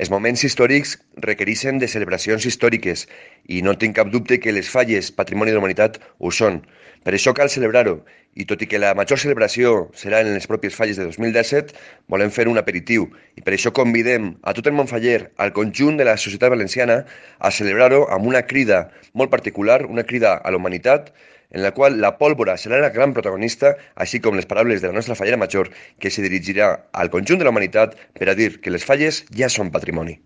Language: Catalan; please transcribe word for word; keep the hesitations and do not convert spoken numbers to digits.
Els moments històrics requereixen de celebracions històriques i no tinc cap dubte que les falles Patrimoni de la Humanitat ho són. Per això cal celebrar-ho i tot i que la major celebració serà en les pròpies falles de dos mil disset, volem fer un aperitiu i per això convidem a tot el Montfaller, al conjunt de la societat valenciana, a celebrar-ho amb una crida molt particular, una crida a la humanitat, en la qual la pólvora serà la gran protagonista, així com les paraules de la nostra fallera major, que se dirigirà al conjunt de la humanitat per a dir que les falles ja són patrimoni.